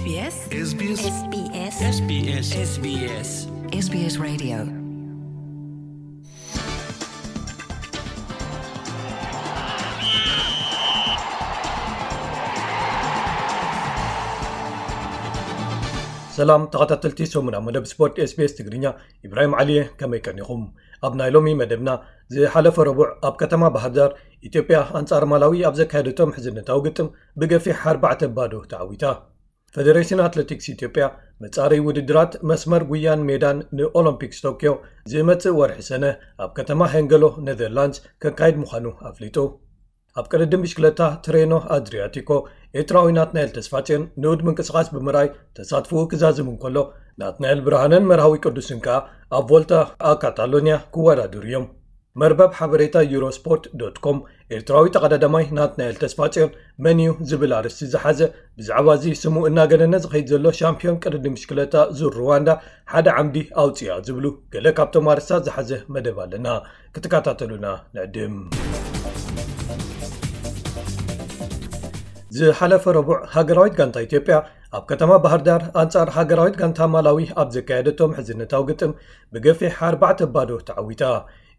SBS SBS SBS SBS SBS SBS Radio. ሰላም ተኸታተልቲ ሰሙና መደብ ስፖርት SBS ትግርኛ፣ ኢብራሂም ዓሊየ። ከመይ ቀኒኹም? ኣብ ናይ ሎሚ መደብና፣ ዝሓለፈ ረቡዕ ኣብ ከተማ ባህር ዳር ኢትዮጵያ ኣንጻር ማላዊ ኣብ ዘካየደቶም ሕዝነታዊ ግጥም ብገፊሕ ኣርባዕተ ባዶ ተዓዊታ። ፈደሬሽን ኣትሌቲክስ ኢትዮጵያ መጻረይ ውድድራት መስመር ጉያን ሜዳን ንኦሎምፒክስ ቶክዮ ዝመጽእ ወርሒ ሰነ ኣብ ከተማ ሄንገሎ ኔዘርላንድስ ከካይድ ምዃኑ ኣፍሊጡ። ኣብ ቅድድም ብሽክለታ ትሬኖ ኣድሪያቲኮ ኤርትራዊ ናትናኤል ተስፋጽዮን ንኡድ ምንቅስቓስ ብምርኣይ ተሳትፎኡ ክዛዝም እንከሎ፣ ናትናኤል ብርሃነን መርሃዊ ቅዱስን ከኣ ኣብ ቮልታ ኣብ ካታሎንያ ክወዳደሩ እዮም። መርበብ ሓበሬታ ዩሮስፖርት ዶት ኮም ኤርትራዊ ተቐዳዳማይ ናትናኤል ተስፋጽዮን መን እዩ ዝብል ኣርእስቲ ዝሓዘ፣ ብዛዕባ እዚ ስሙ እናገነነ ዝኸይድ ዘሎ ሻምፒዮን ቅድድም ብሽክለታ ዙር ሩዋንዳ ሓደ ዓምዲ ኣውጽኣ ዝብሉ ገለ ካብቶም ኣርእስታት ዝሓዘ መደብ ኣለና። ክትከታተሉና ንዕድም። ዝሓለፈ ረቡዕ ሃገራዊት ጋንታ ኢትዮጵያ ኣብ ከተማ ባህር ዳር ኣንጻር ሃገራዊት ጋንታ ማላዊ ኣብ ዘካየደቶም ሕዝነታዊ ግጥም ብገፊሕ ኣርባዕተ ባዶ ተዓዊታ።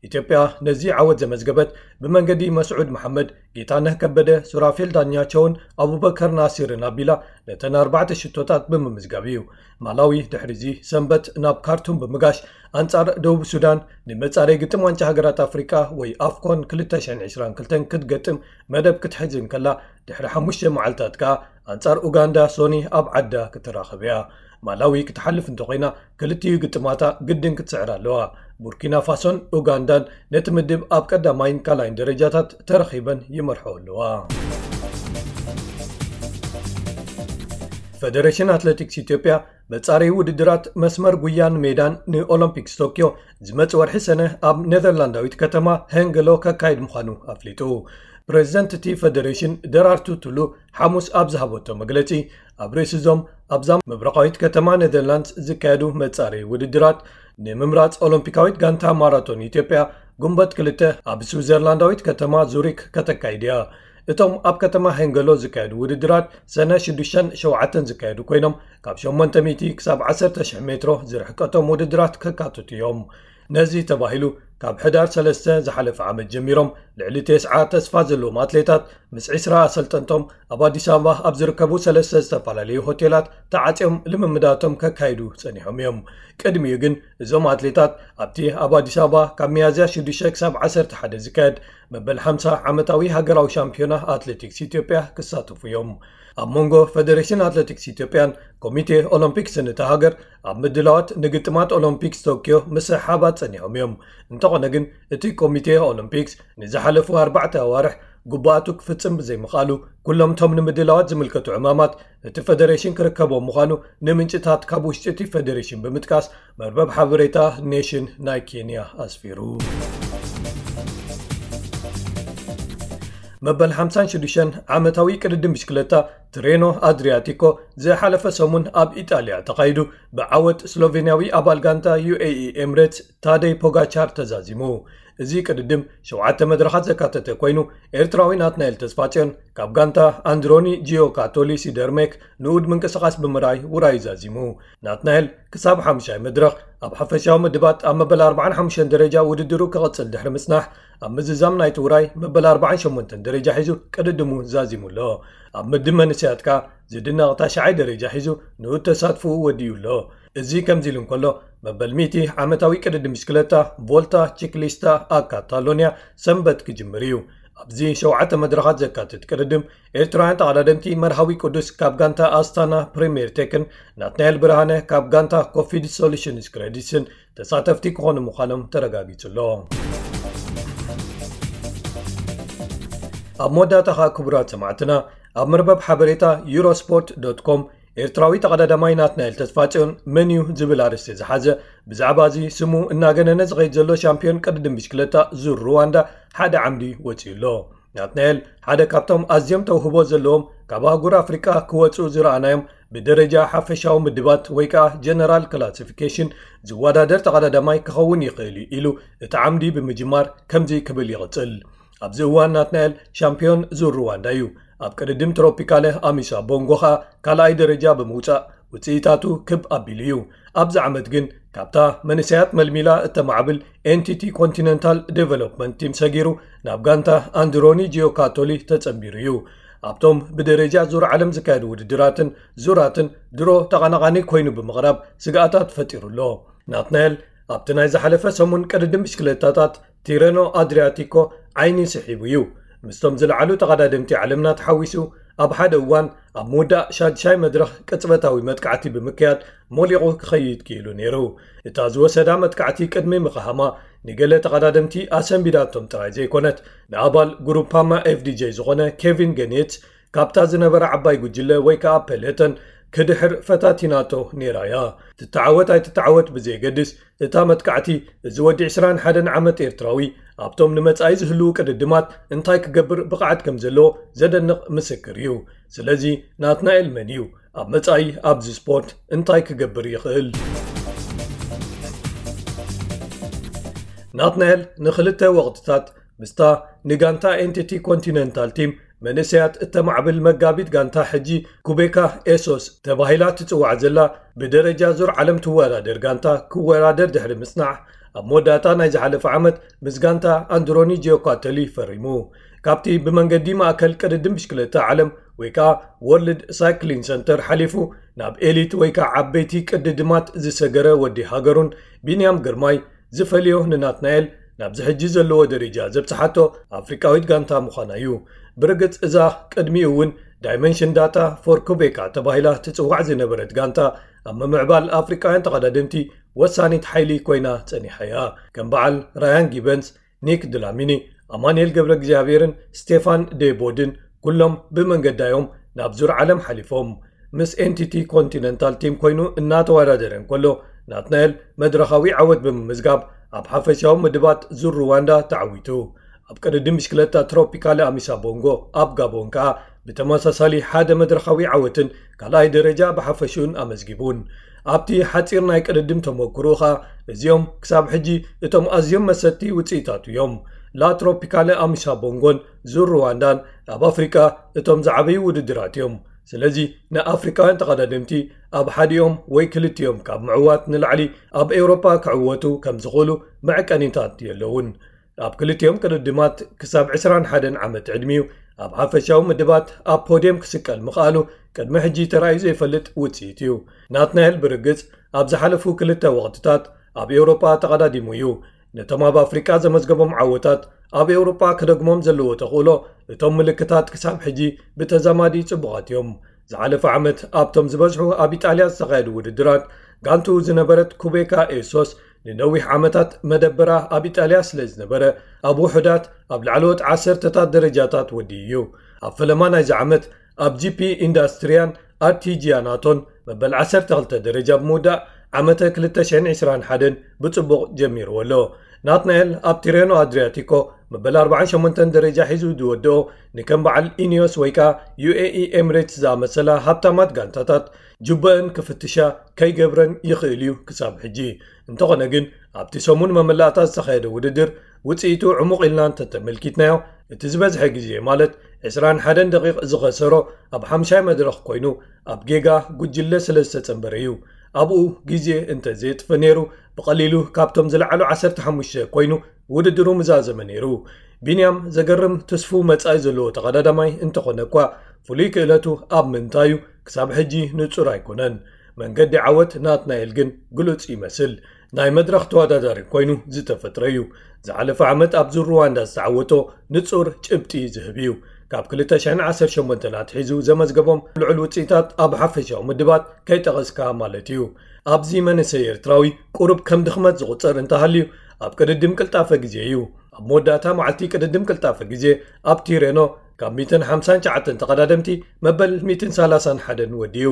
ኢትዮጵያ ነዚ ዓወት ዘመዝገበት ብመንገዲ መስዑድ መሓመድ፣ ጌታነህ ከበደ፣ ሱራፌል ዳኛቸውን ኣቡበከር ናሲርን ኣቢላ ነተን ኣርባዕተ ሽቶታት ብምምዝጋብ እዩ። ማላዊ ድሕሪዚ ሰንበት ናብ ካርቱም ብምጋሽ ኣንጻር ደቡብ ሱዳን ንመጻረይ ግጥም ዋንጫ ሃገራት ኣፍሪቃ ወይ ኣፍኮን ክልተ ሽሕን ዕስራን ክልተን ክትገጥም መደብ ክትሕዝ እንከላ፣ ድሕሪ ሓሙሽተ መዓልታት ከኣ ኣንጻር ኡጋንዳ ሶኒ ኣብ ዓዳ ክትራኸብ እያ። ማላዊ ክትሓልፍ እንተኾይና፣ ክልቲኡ ግጥማታ ግድን ክትስዕር ኣለዋ። ቡርኪና ፋሶን ኡጋንዳን ነቲ ምድብ ኣብ ቀዳማይን ካልኣይን ደረጃታት ተረኺበን ይመርሕኦ ኣለዋ። ፈደሬሽን ኣትሌቲክስ ኢትዮጵያ መጻረይ ውድድራት መስመር ጉያን ሜዳን ንኦሎምፒክስ ቶክዮ ዝመጽእ ወርሒ ሰነ ኣብ ኔዘርላንዳዊት ከተማ ሄንገሎ ከካይድ ምዃኑ ኣፍሊጡ። ፕሬዝደንት እቲ ፈደሬሽን ደራርቱ ቱሉ ሓሙስ ኣብ ዝሃበቶ መግለጺ፣ ኣብ ርእሲ እዞም ኣብዛ ምብራቓዊት ከተማ ኔዘርላንድስ ዝካየዱ መጻረይ ውድድራት ንምምራጽ ኦሎምፒካዊት ጋንታ ማራቶን ኢትዮጵያ ጉንበት ክልተ ኣብ ስዊዘርላንዳዊት ከተማ ዙሪክ ከተካይድ እያ። እቶም ኣብ ከተማ ሄንገሎ ዝካየዱ ውድድራት ሰነ ሽዱሽተን ሸውዓተን ዝካየዱ ኮይኖም፣ ካብ ሸሞንተ ሚእቲ ክሳብ ዓሰርተ ሽሕ ሜትሮ ዝርሕቀቶም ውድድራት ከካትቱ እዮም። ነዚ ተባሂሉ፣ ካብ ሕዳር ሰለስተ ዝሓለፈ ዓመት ጀሚሮም ልዕሊ ተስዓ ተስፋ ዘለዎም ኣትሌታት ምስ ዕስራ ኣሰልጠንቶም ኣብ ኣዲስ ኣበባ ኣብ ዝርከቡ ሰለስተ ዝተፈላለዩ ሆቴላት ተዓጽዮም ልምምዳቶም ከካይዱ ጸኒሖም እዮም። ቅድሚኡ ግን እዞም ኣትሌታት ኣብቲ ኣብ ኣዲስ ኣበባ ካብ ሚያዝያ ሽዱሽተ ክሳብ ዓሰርተ ሓደ ዝካየድ መበል ሓምሳ ዓመታዊ ሃገራዊ ሻምፒዮና ኣትሌቲክስ ኢትዮጵያ ክሳተፉ እዮም። ኣብ መንጎ ፈደሬሽን ኣትሌቲክስ ኢትዮጵያን ኮሚቴ ኦሎምፒክስን እታ ሃገር ኣብ ምድላዋት ንግጥማት ኦሎምፒክስ ቶክዮ ምስሕሓባት ጸኒሖም እዮም። እንተኾነ ግን፣ እቲ ኮሚቴ ኦሎምፒክስ ንዝሓለፉ ኣርባዕተ ኣዋርሕ ግቡኣቱ ክፍጽም ብዘይምኽኣሉ፣ ኩሎም እቶም ንምድላዋት ዝምልከቱ ዕማማት እቲ ፈደሬሽን ክርከቦም ምዃኑ ንምንጭታት ካብ ውሽጢ እቲ ፈደሬሽን ብምጥቃስ መርበብ ሓበሬታ ኔሽን ናይ ኬንያ ኣስፊሩ። መበል ሓምሳን ሽዱሽተን ዓመታዊ ቅድድም ብሽክለታ ትሬኖ ኣድሪያቲኮ ዝሓለፈ ሰሙን ኣብ ኢጣልያ ተኻይዱ፣ ብዓወት ስሎቬንያዊ ኣባል ጋንታ ዩ ኤ ኢ ኤምሬትስ ታደይ ፖጋቻር ተዛዚሙ። እዚ ቅድድም ሸውዓተ መድረኻት ዘካተተ ኮይኑ፣ ኤርትራዊ ናትናኤል ተስፋጽዮን ካብ ጋንታ ኣንድሮኒ ጂዮካቶሊ ሲደርሜክ ንኡድ ምንቅስቓስ ብምርኣይ ውራዩ ዛዚሙ። ናትናኤል ክሳብ ሓሙሻይ መድረኽ ኣብ ሓፈሻዊ ምድባት ኣብ መበል ኣርባዓን ሓሙሽተን ደረጃ ውድድሩ ክቕጽል ድሕሪ ምጽናሕ፣ ኣብ ምዝዛም ናይቲ ውራይ መበል ኣርባዓን ሸሞንተን ደረጃ ሒዙ ቅድድሙ ዛዚሙ ኣሎ። ኣብ ምድብ መንእሰያት ከኣ ዝድነቕ ታሽዓይ ደረጃ ሒዙ ንኡድ ተሳትፎኡ ወዲኡ ኣሎ። እዚ ከምዚ ኢሉ እንከሎ፣ መበል ሚእቲ ዓመታዊ ቅድድም ብሽክለታ ቮልታ ቺክሊስታ ኣብ ካታሎንያ ሰንበት ክጅምር እዩ። ኣብዚ ሸውዓተ መድረኻት ዘካትት ቅድድም፣ ኤርትራውያን ተቐዳደምቲ መርሃዊ ቅዱስ ካብ ጋንታ ኣስታና ፕሪምየር ቴክን፣ ናትናኤል ብርሃነ ካብ ጋንታ ኮፊድ ሶሉሽንስ ክሬዲትስን ተሳተፍቲ ክኾኑ ምዃኖም ተረጋጊጹ ኣሎ። ኣብ መወዳእታ ኸኣ፣ ክቡራት ሰማዕትና፣ ኣብ መርበብ ሓበሬታ ዩሮስፖርት ዶት ኮም ኤርትራዊ ተቐዳዳማይ ናትናኤል ተስፋጽዮን መን እዩ ዝብል ኣርእስቲ ዝሓዘ፣ ብዛዕባ እዚ ስሙ እናገነነ ዝኸይድ ዘሎ ሻምፒዮን ቅድድም ብሽክለታ ዙር ሩዋንዳ ሓደ ዓምዲ ወጺኡ ኣሎ። ናትናኤል ሓደ ካብቶም ኣዝዮም ተውህቦ ዘለዎም፣ ካብ ኣህጉር ኣፍሪቃ ክወጹ ዝረኣናዮም፣ ብደረጃ ሓፈሻዊ ምድባት ወይ ከኣ ጀነራል ክላሲፊኬሽን ዝወዳደር ተቐዳዳማይ ክኸውን ይኽእል እዩ ኢሉ እቲ ዓምዲ ብምጅማር ከምዚ ክብል ይቕጽል። ኣብዚ እዋን ናትናኤል ሻምፒዮን ዙር ሩዋንዳ እዩ። ኣብ ቅድድም ትሮፒካለ ኣሚሳ ቦንጎ ኸኣ ካልኣይ ደረጃ ብምውጻእ ውጽኢታቱ ክብ ኣቢሉ እዩ። ኣብዚ ዓመት ግን ካብታ መንእሰያት መልሚላ እተማዕብል ኤንቲቲ ኮንቲነንታል ዴቨሎፕመንት ቲም ሰጊሩ ናብ ጋንታ ኣንድሮኒ ጂዮካቶሊ ተጸንቢሩ እዩ። ኣብቶም ብደረጃ ዙር ዓለም ዝካየዱ ውድድራትን ዙራትን ድሮ ተቐናቓኒ ኮይኑ ብምቕራብ ስግኣታት ፈጢሩ ኣሎ። ናትናኤል ኣብቲ ናይ ዝሓለፈ ሰሙን ቅድድም ብሽክለታታት ቲረኖ ኣድሪያቲኮ ዓይኒ ስሒቡ እዩ። ምስቶም ዝለዓሉ ተቐዳደምቲ ዓለምና ተሓዊሱ ኣብ ሓደ እዋን ኣብ ምውዳእ ሻድሻይ መድረኽ ቅጽበታዊ መጥቃዕቲ ብምክያድ ሞሊቑ ክኸይድ ክኢሉ ነይሩ። እታ ዝወሰዳ መጥቃዕቲ ቅድሚ ምኽሃማ ንገለ ተቐዳደምቲ ኣሰንቢዳቶም ጥራይ ዘይኮነት ንኣባል ግሩፓማ ኤፍዲጄ ዝኾነ ኬቪን ገኔትስ ካብታ ዝነበረ ዓባይ ጉጅለ ወይ ከኣ ፔሌተን ክድሕር ፈታቲናቶ ነይራ እያ። ትተዓወት ኣይትተዓወት ብዘየገድስ እታ መጥቃዕቲ እዚ ወዲ ዕስራን ሓደን ዓመት ኤርትራዊ ኣብቶም ንመጻኢ ዝህልዉ ቅድድማት እንታይ ክገብር ብቕዓት ከም ዘለዎ ዘደንቕ ምስክር እዩ። ስለዚ ናትናኤል መን እዩ? ኣብ መጻኢ ኣብዚ ስፖርት እንታይ ክገብር ይኽእል? ናትናኤል ንኽልተ ወቕትታት ምስታ ንጋንታ ኤንቲቲ ኮንቲነንታል ቲም መንእሰያት እተማዕብል መጋቢት ጋንታ ሕጂ ኩቤካ ኤሶስ ተባሂላ ትጽዋዕ ዘላ ብደረጃ ዙር ዓለም ትወዳደር ጋንታ ክወዳደር ድሕሪ ምጽናሕ ኣብ መወዳእታ ናይ ዝሓለፈ ዓመት ምስ ጋንታ ኣንድሮኒ ጂዮካተሊ ፈሪሙ። ካብቲ ብመንገዲ ማእከል ቅድድም ብሽክለታ ዓለም ወይ ከኣ ወርልድ ሳይክሊን ሰንተር ሓሊፉ ናብ ኤሊት ወይ ከኣ ዓበይቲ ቅድድማት ዝሰገረ ወዲ ሃገሩን ቢንያም ግርማይ ዝፈልዮ ንናትናኤል ናብዚ ሕጂ ዘለዎ ደረጃ ዘብጽሓቶ ኣፍሪቃዊት ጋንታ ምዃና እዩ። ብርግጽ እዛ ቅድሚኡ እውን ዳይመንሽን ዳታ ፎር ኩቤካ ተባሂላ ትጽዋዕ ዝነበረት ጋንታ ኣብ ምምዕባል ኣፍሪቃውያን ተቐዳደምቲ ወሳኒት ሓይሊ ኮይና ጸኒሓ እያ። ከም በዓል ራያን ጊበንስ፣ ኒክ ድላሚኒ፣ ኣማኑኤል ገብረ እግዚኣብሔርን ስቴፋን ዴቦድን ኩሎም ብመንገዳዮም ናብ ዙር ዓለም ሓሊፎም። ምስ ኤንቲቲ ኮንቲነንታል ቲም ኮይኑ እናተወዳደረ እንከሎ ናትናኤል መድረኻዊ ዓወት ብምምዝጋብ ኣብ ሓፈሻዊ ምድባት ዙር ሩዋንዳ ተዓዊቱ። ኣብ ቅድድም ብሽክለታ ትሮፒካሊ ኣሚሳ ቦንጎ ኣብ ጋቦን ከኣ ብተመሳሳሊ ሓደ መድረኻዊ ዓወትን ካልኣይ ደረጃ ብሓፈሽኡን ኣመዝጊቡን። ኣብቲ ሓጺር ናይ ቅድድም ተመክሮኡ ኸኣ እዚኦም ክሳብ ሕጂ እቶም ኣዝዮም መሰጥቲ ውጽኢታቱ እዮም። ላ ትሮፒካለ ኣሚሳ ቦንጎን ዙር ሩዋንዳን ኣብ ኣፍሪቃ እቶም ዝዓበዩ ውድድራት እዮም። ስለዚ ንኣፍሪቃውያን ተቐዳደምቲ ኣብ ሓዲኦም ወይ ክልቲኦም ካብ ምዕዋት ንላዕሊ ኣብ ኤውሮጳ ክዕወቱ ከም ዝኽእሉ መዐቀኒታት የለውን። ኣብ ክልቲኦም ቅድድማት ክሳብ ዕስራን ሓደን ዓመት ዕድሚኡ ኣብ ሓፈሻዊ ምድባት ኣብ ፖድየም ክስቀል ምኽኣሉ ቅድሚ ሕጂ ተራእዩ ዘይፈልጥ ውጽኢት እዩ። ናትናኤል ብርግጽ ኣብ ዝሓለፉ ክልተ ወቕትታት ኣብ ኤውሮጳ ተቐዳዲሙ እዩ። ነቶም ኣብ ኣፍሪቃ ዘመዝገቦም ዓወታት ኣብ ኤውሮጳ ክደግሞም ዘለዎ ተኽእሎ እቶም ምልክታት ክሳብ ሕጂ ብተዛማዲ ጽቡቓት እዮም። ዝሓለፈ ዓመት ኣብቶም ዝበዝሑ ኣብ ኢጣልያ ዝተኻየዱ ውድድራት ጋንቱ ዝነበረት ኩቤካ ኤሶስ ንነዊሕ ዓመታት መደበራ ኣብ ኢጣልያ ስለ ዝነበረ ኣብ ውሑዳት ኣብ ላዕለዎት ዓሰርተታት ደረጃታት ወዲኡ እዩ። ኣብ ፈለማ ናይዚ ዓመት ኣብ ጂፒ ኢንዳስትሪያን ኣርቲጂያናቶን መበል ዓሰርተ ክልተ ደረጃ ብምውዳእ ዓመተ ክልተ ሽሕን ዕስራን ሓደን ብጽቡቕ ጀሚርዎ ኣሎ። ናትናኤል ኣብ ቲሬኖ ኣድሪያቲኮ መበል ኣርባዓን ሸሞንተን ደረጃ ሒዙ ዝወድኦ ንከም በዓል ኢኒዮስ ወይ ከኣ ዩኤኢ ኤምሬትስ ዝኣመሰላ ሃብታማት ጋንታታት ጅበአን ክፍትሻ ከይገብረን ይኽእል እዩ ክሳብ ሕጂ። እንተኾነ ግን ኣብቲ ሰሙን መመላእታ ዝተኻየደ ውድድር ውጽኢቱ ዕሙቕ ኢልና እንተተመልኪትናዮ እቲ ዝበዝሐ ግዜ ማለት ዕስራን ሓደን ደቂቕ ዝኸሰሮ ኣብ ሓምሻይ መድረኽ ኮይኑ ኣብ ጌጋ ጉጅለ ስለ ዝተጸንበረ እዩ። ኣብኡ ግዜ እንተ ዘየጥፈ ነይሩ ብቐሊሉ ካብቶም ዝለዓሉ ዓሰርተ ሓሙሽተ ኮይኑ ውድድሩ ምዛዘመ ነይሩ። ቢንያም ዘገርም ትስፉው መጻኢ ዘለዎ ተቐዳዳማይ እንተኾነ እኳ ፍሉይ ክእለቱ ኣብ ምንታዩ ክሳብ ሕጂ ንጹር ኣይኮነን። መንገዲ ዓወት ናትናኤል ግን ግሉጽ ይመስል። ናይ መድረኽ ተወዳዳሪ ኮይኑ ዝተፈጥረ እዩ። ዝሓለፈ ዓመት ኣብ ዙር ሩዋንዳ ዝተዓወቶ ንጹር ጭብጢ ዝህብ እዩ። ካብ ክልተ ሽሕን ዓሰርተ ሸሞንተን ኣትሒዙ ዘመዝገቦም ልዑል ውጽኢታት ኣብ ሓፈሻዊ ምድባት ከይጠቐስካ ማለት እዩ። ኣብዚ መንእሰይ ኤርትራዊ ቁሩብ ከም ድኽመት ዝቑጸር እንተሃልዩ ኣብ ቅድድም ቅልጣፈ ግዜ እዩ። ኣብ መወዳእታ መዓልቲ ቅድድም ቅልጣፈ ግዜ ኣብ ቲሬኖ ካብ ሚእትን ሓምሳን ትሽዓተን ተቐዳደምቲ መበል ሚእትን ሰላሳን ሓደን ወዲኡ።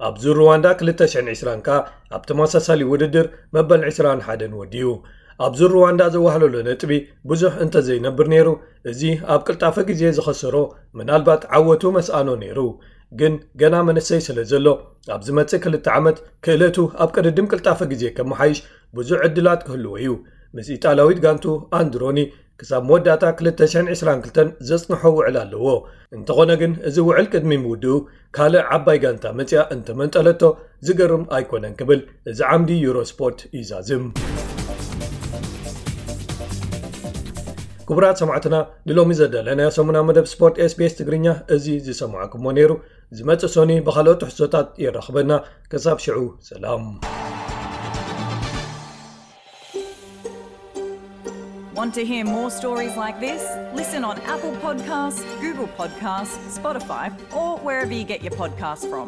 ኣብ ዙር ሩዋንዳ ክልተ ሽሕን ዕስራን ከኣ ኣብ ተመሳሳሊ ውድድር መበል ዕስራን ሓደን ወዲኡ። ኣብ ዙር ሩዋንዳ ዘዋህለሎ ነጥቢ ብዙሕ እንተዘይነብር ነይሩ፣ እዚ ኣብ ቅልጣፈ ግዜ ዝኸሰሮ ምናልባት ዓወቱ መስኣኖ ነይሩ። ግን ገና መንእሰይ ስለ ዘሎ ኣብ ዝመጽእ ክልተ ዓመት ክእለቱ ኣብ ቅድድም ቅልጣፈ ግዜ ከመሓይሽ ብዙሕ ዕድላት ክህልዎ እዩ። ምስ ኢጣልያዊት ጋንቱ ኣንድሮኒ ክሳብ መወዳእታ ክልተ ሽሕን ዕስራን ክልተን ዘጽንሖ ውዕል ኣለዎ። እንተኾነ ግን፣ እዚ ውዕል ቅድሚ ምውድኡ ካልእ ዓባይ ጋንታ መጽያ እንተመንጠለቶ ዝገርም ኣይኮነን ክብል እዚ ዓምዲ ዩሮስፖርት ይዛዝም። ክቡራት ሰማዕትና፣ ንሎሚ ዘዳለናዮ ሰሙናዊ መደብ ስፖርት SBS ትግርኛ እዚ ዝሰማዕኩሞ ነይሩ። ዝመጽእ ሶኒ ብኻልኦት ትሕዝቶታት የራኽበና። ክሳብ ሽዑ ሰላም። Want to hear more stories like this? Listen on Apple Podcasts, Google Podcasts, Spotify, or wherever you get your podcasts from.